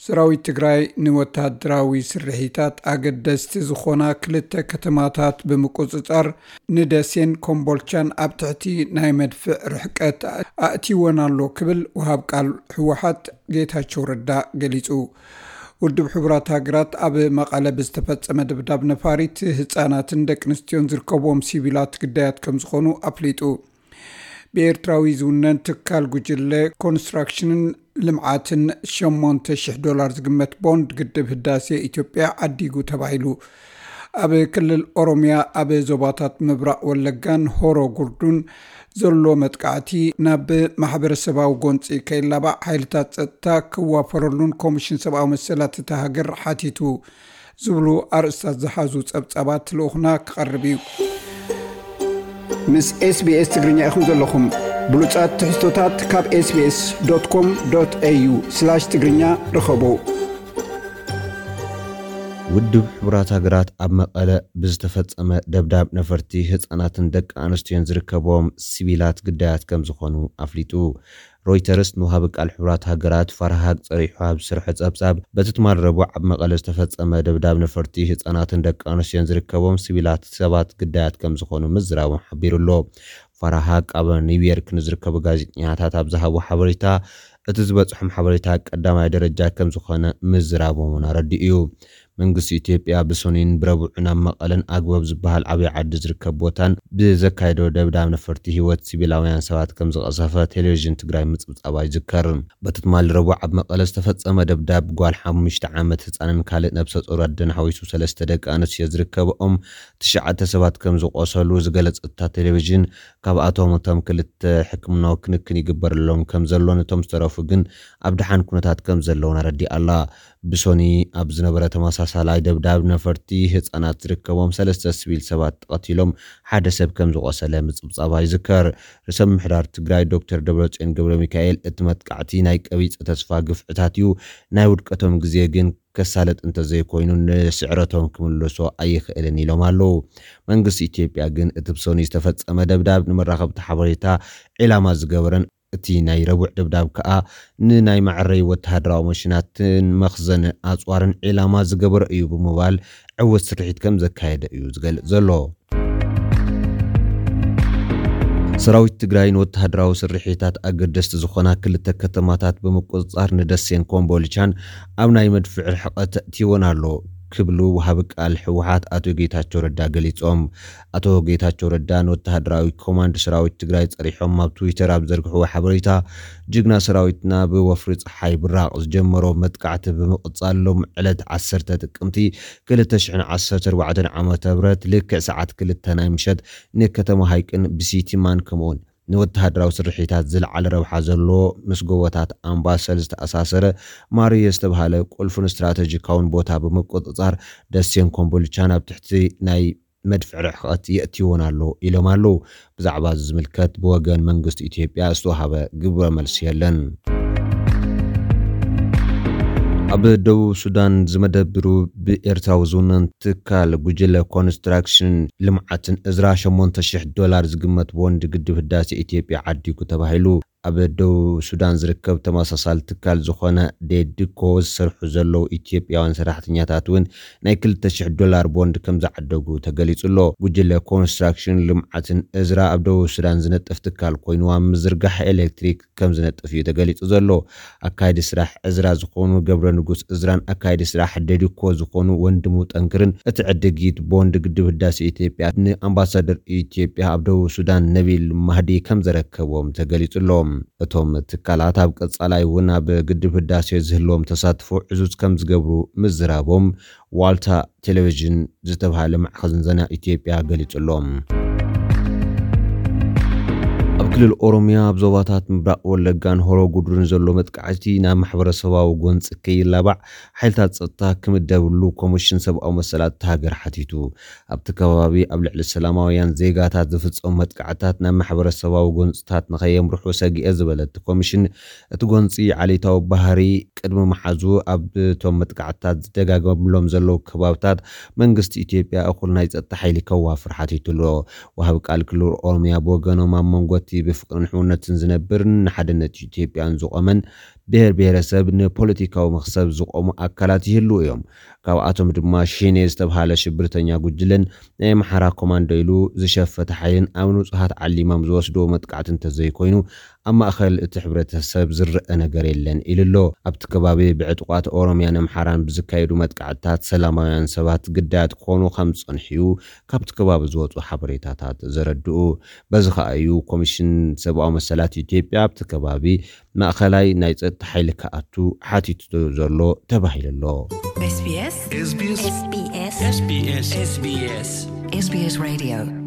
ሰራዊት ትግራይ ንወታደራዊ ስርሒታት ኣገደስቲ ዝኾና ክልተ ከተማታት ብምቁጽጻር፣ ንደሴን ኮምቦልቻን ኣብ ትሕቲ ናይ መድፍዕ ርሕቀት ኣእትይወን ኣሎ ክብል ወሃብ ቃል ህወሓት ጌታቸው ረዳ ገሊጹ። ውድብ ሕቡራት ሃገራት ኣብ መቐለ ብዝተፈጸመ ደብዳብ ነፋሪት፣ ህጻናትን ደቂ ኣንስትዮን ዝርከብዎም ሲቪላት ግዳያት ከም ዝኾኑ ኣፍሊጡ። ብኤርትራዊ ዝውነን ትካል ጉጅለ ኮንስትራክሽንን ልምዓትን ሸሞንተ ሽሕ ዶላር ዝግመት ቦንድ ግድብ ህዳሴ ኢትዮጵያ ዓዲጉ ተባሂሉ። ኣብ ክልል ኦሮሚያ ኣብ ዞባታት ምብራቕ ወለጋን ሆሮ ጉርዱን ዘሎ መጥቃዕቲ ናብ ማሕበረሰባዊ ጎንፂ ከይላባዕ ሓይልታት ጸጥታ ክዋፈረሉን ኮሚሽን ሰብኣዊ መሰላት እታ ሃገር ሓቲቱ። ዝብሉ ኣርእስታት ዝሓዙ ጸብጻባት ልኡኽና ክቐርብ እዩ። ምስ ኤስቢኤስ ትግርኛ ኢኹም ዘለኹም። ብሉጻት ትሕዝቶታት ካብ ኤስቢኤስ ዶት ኮም ዶት ኤዩ ስላሽ ትግርኛ ርኸቡ። ውድብ ሕቡራት ሃገራት ኣብ መቐለ ብዝተፈጸመ ደብዳብ ነፈርቲ ህጻናትን ደቂ ኣንስትዮን ዝርከብዎም ሲቪላት ግዳያት ከም ዝኾኑ ኣፍሊጡ። ሮይተርስ ንውሃቢ ቃል ሕቡራት ሃገራት ፋርሃ ሃቅ ጸሪሑ ኣብ ዝሰርሖ ጸብጻብ፣ በቲ ትማል ረቡዕ ኣብ መቐለ ዝተፈጸመ ደብዳብ ነፈርቲ ህጻናትን ደቂ ኣንስትዮን ዝርከብዎም ሲቪላት ሰባት ግዳያት ከም ዝኾኑ ምዝራቦም ሓቢሩ ኣሎ። ፋርሃ ሃቅ ኣብ ኒውዮርክ ንዝርከቡ ጋዜጠኛታት ኣብ ዝሃቦ ሓበሬታ፣ እቲ ዝበጽሖም ሓበሬታ ቀዳማይ ደረጃ ከም ዝኾነ ምዝራቦም እውን ኣረዲኡ እዩ። መንግስቲ ኢትዮጵያ ብሰኑይን ብረቡዕን ኣብ መቐለን ኣግበብ ዝበሃል ዓብዪ ዓዲ ዝርከብ ቦታን ብዘካየዶ ደብዳብ ነፈርቲ ህይወት ሲቪላውያን ሰባት ከም ዝቐሰፈ ቴሌቪዥን ትግራይ ምጽብጻባ ይዝከር። በቲ ትማሊ ረቡዕ ኣብ መቐለ ዝተፈጸመ ደብዳብ ጓል ሓሙሽተ ዓመት ህጻንን ካልእ ነብሰ ጡር ኣደን ሓዊሱ ሰለስተ ደቂ ኣንስትዮ ዝርከብኦም ትሽዓተ ሰባት ከም ዝቖሰሉ ዝገለጸት እታ ቴሌቪዥን፣ ካብኣቶም እቶም ክልተ ሕክምናዊ ክንክን ይግበረሎም ከም ዘሎ፣ ነቶም ዝተረፉ ግን ኣብ ደሓን ኩነታት ከም ዘለውን ኣረዲኣ ኣላ። ብሶኒ ኣብ ዝነበረ ተመሳሳላይ ደብዳብ ነፈርቲ ህጻናት ዝርከቦም ሰለስተ ሲቪል ሰባት ተቐቲሎም ሓደ ሰብ ከም ዝቖሰለ ምጽብጻባ ይዝከር። ርእሰ ምምሕዳር ትግራይ ዶክተር ደብረጽዮን ገብረ ሚካኤል፣ እቲ መጥቃዕቲ ናይ ቀቢጸ ተስፋ ግፍዕታት እዩ፣ ናይ ውድቀቶም ግዜ ግን ከሳለጥ እንተዘይኮይኑ ንስዕረቶም ክምልሶ ኣይኽእልን ኢሎም ኣለዉ። መንግስቲ ኢትዮጵያ ግን እቲ ብሶኒ ዝተፈጸመ ደብዳብ ንመራኸብቲ ሓበሬታ ዒላማ ዝገበረን እቲ ናይ ረቡዕ ደብዳብ ከኣ ንናይ መዐረይ ወተሃደራዊ መሽናትን መኽዘን ኣጽዋርን ዒላማ ዝገበረ እዩ ብምባል ዕዉት ስርሒት ከም ዘካየደ እዩ ዝገልጽ ዘሎ። ሰራዊት ትግራይ ንወተሃደራዊ ስርሒታት ኣገደስቲ ዝኾና ክልተ ከተማታት ብምቁጽጻር ንደሴን ኮምቦልቻን ኣብ ናይ መድፍዕ ርሕቀት ኣእትይወን ኣሎ ክብሉ ወሃቢ ቃል ህወሓት ኣቶ ጌታቸው ረዳ ገሊጾም። ኣቶ ጌታቸው ረዳ ንወተሃደራዊ ኮማንድ ሰራዊት ትግራይ ጸሪሖም ኣብ ትዊተር ኣብ ዘርግሕዎ ሓበሬታ፣ ጅግና ሰራዊትና ብወፍሪ ጸሓይ ብራቕ ዝጀመሮ መጥቃዕቲ ብምቕጻል፣ ሎም ዕለት ዓሰርተ ጥቅምቲ ክልተ ሽሕን ዓሰርተ ኣርባዕተን ዓመተ ምህረት ልክዕ ሰዓት ክልተ ናይ ምሸት ንከተማ ሃይቅን ብሲቲማን ከምኡውን ንወተሃደራዊ ስርሒታት ዝለዓለ ረብሓ ዘለዎ ምስ ጎቦታት ኣምባሰል ዝተኣሳሰረ ማርየ ዝተባሃለ ቁልፍን ስትራተጂካውን ቦታ ብምቁጽጻር፣ ደሴን ኮምቦልቻን ኣብ ትሕቲ ናይ መድፍዕ ርሕቐት የእትይወን ኣሎ ኢሎም ኣለዉ። ብዛዕባ እዚ ዝምልከት ብወገን መንግስቲ ኢትዮጵያ ዝተዋሃበ ግብረ መልሲ የለን። ኣብ ደቡብ ሱዳን ዝመደብሩ ብኤርትራዊ ዝውነን ትካል ጉጅለ ኮንስትራክሽን ልምዓትን እዝራ ሸሞንተ ሽሕ ዶላር ዝግመት ቦንድ ግድብ ህዳሴ ኢትዮጵያ ዓዲጉ ተባሂሉ። ኣብ ደቡብ ሱዳን ዝርከብ ተመሳሳሊ ትካል ዝኾነ ዴድኮ ዝሰርሑ ዘለዉ ኢትዮጵያውያን ሰራሕተኛታት እውን ናይ ክልተ ሽሕ ዶላር ቦንድ ከም ዝዓደጉ ተገሊጹ ኣሎ። ጉጅለ ኮንስትራክሽን ልምዓትን እዝራ ኣብ ደቡብ ሱዳን ዝነጥፍ ትካል ኮይኑ፣ ኣብ ምዝርጋሕ ኤሌክትሪክ ከም ዝነጥፍ እዩ ተገሊጹ ዘሎ። ኣካይዲ ስራሕ እዝራ ዝኾኑ ገብረ ንጉስ እዝራን ኣካይዲ ስራሕ ዴድኮ ዝኾኑ ወንድሙ ጠንክርን፣ እቲ ዕድጊት ቦንድ ግድብ ህዳሴ ኢትዮጵያ ንኣምባሳደር ኢትዮጵያ ኣብ ደቡብ ሱዳን ነቢል ማህዲ ከም ዘረከቦም ተገሊጹ ኣሎ። እቶም ትካላት ኣብ ቀጻላይ እውን ኣብ ግድብ ህዳሴ ዝህልዎም ተሳትፎ ዕዙዝ ከም ዝገብሩ ምዝራቦም ዋልታ ቴሌቪዥን ዝተባሃለ ማዕኸን ዜና ኢትዮጵያ ገሊጹ ኣሎ። ኣብ ክልል ኦሮሚያ ኣብ ዞባታት ምብራቕ ወለጋን ሆሮ ጉድሩን ዘሎ መጥቃዕቲ ናብ ማሕበረሰባዊ ጎንፂ ከይላባዕ ሓይልታት ጸጥታ ክምደብሉ ኮሚሽን ሰብኣዊ መሰላት እታ ሃገር ሓቲቱ። ኣብቲ ከባቢ ኣብ ልዕሊ ሰላማውያን ዜጋታት ዝፍጸሙ መጥቃዕታት ናብ ማሕበረሰባዊ ጎንፅታት ንኸየምርሑ ሰጊኤ ዝበለ እቲ ኮሚሽን፣ እቲ ጎንፂ ዓሌታዊ ባህሪ ቅድሚ መሓዙ ኣብ እቶም መጥቃዕትታት ዝደጋገምሎም ዘለዉ ከባብታት መንግስቲ ኢትዮጵያ እኹል ናይ ጸጥታ ሓይሊ ከዋፍር ሓቲቱ ኣሎ። ወሃቢ ቃል ክልል ኦሮሚያ ብወገኖም፣ ኣብ መንጎ እቲ ብፍቕርን ሕውነትን ዝነብርን ንሓድነት ኢትዮጵያን ዝቖመን ብሔር ብሔረሰብ ንፖለቲካዊ መኽሰብ ዝቖሙ ኣካላት ይህልዉ እዮም። ካብኣቶም ድማ ሽኔ ዝተብሃለ ሽብርተኛ ጉጅለን ናይ ኣምሓራ ኮማንዶ ኢሉ ዝሸፈተ ሓይልን ኣብ ንጹሃት ዓሊሞም ዝወስድዎ መጥቃዕቲ እንተዘይኮይኑ ኣብ ማእኸል እቲ ሕብረተሰብ ዝረአ ነገር የለን ኢሉ ኣሎ። ኣብቲ ከባቢ ብዕጡቓት ኦሮምያን ኣምሓራን ብዝካየዱ መጥቃዕትታት ሰላማውያን ሰባት ግዳያት ክኾኑ ከም ዝጸንሑ እዩ ካብቲ ከባቢ ዝወፁ ሓበሬታታት ዘረድኡ። በዚ ከኣ እዩ ኮሚሽን ሰብኣዊ መሰላት ኢትዮጵያ ኣብቲ ከባቢ ማእኸላይ ናይ ጸጥታ ሓይሊ ክኣቱ ሓቲቱ ዘሎ ተባሂሉ ኣሎ። SBS SBS SBS SBS SBS SBS Radio